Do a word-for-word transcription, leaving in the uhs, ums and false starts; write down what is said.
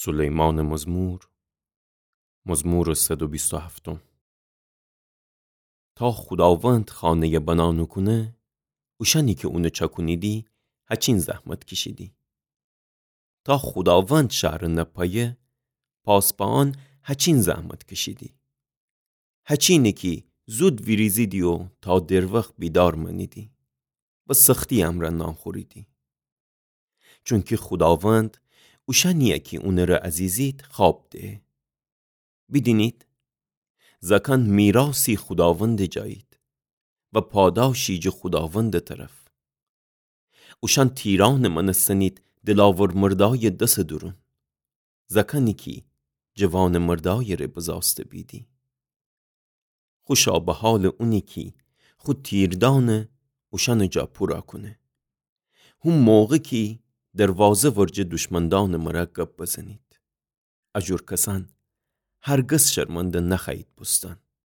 سلیمانٚ مزمور، مزمورٚ صد و بیست و هفتم. تا خوداوند خانه‌یَ بنا نوکونه، اوشأنی کی اونَ چأکونیدی، هچین زحمت کیشیدی. تا خوداوند شهرَ نپایه، پاسبأن هچین زحمت کیشیدی. هچینی کی زود ویریزیدی و تا دروخت بیدار مأنیدی و سختی امرأ نان خوریدی. چونکی خوداوند اوشأنی‌یَ کی اونٚره عزیزید خواب دهه. بیدینید، زأکأن میراثی خوداوندٚ جایید و پاداشی جٚه خوداوندٚ طرف. اوشأن تیرأنٚ مأنستنید دلاور مردایٚ دسٚ دورون، زأکأنی کی جوانٚ مردایٚ ره بزاسته بیدی. خوشا به حالٚ اونی کی خو تیردأنَ اوشأنٚ جا پورا کونه. هو موقع کی دروازه ورجه دشمندأنٚ مره گب بزنید. اجور کسأن هرگز شرمنده نخوأیید بوستن.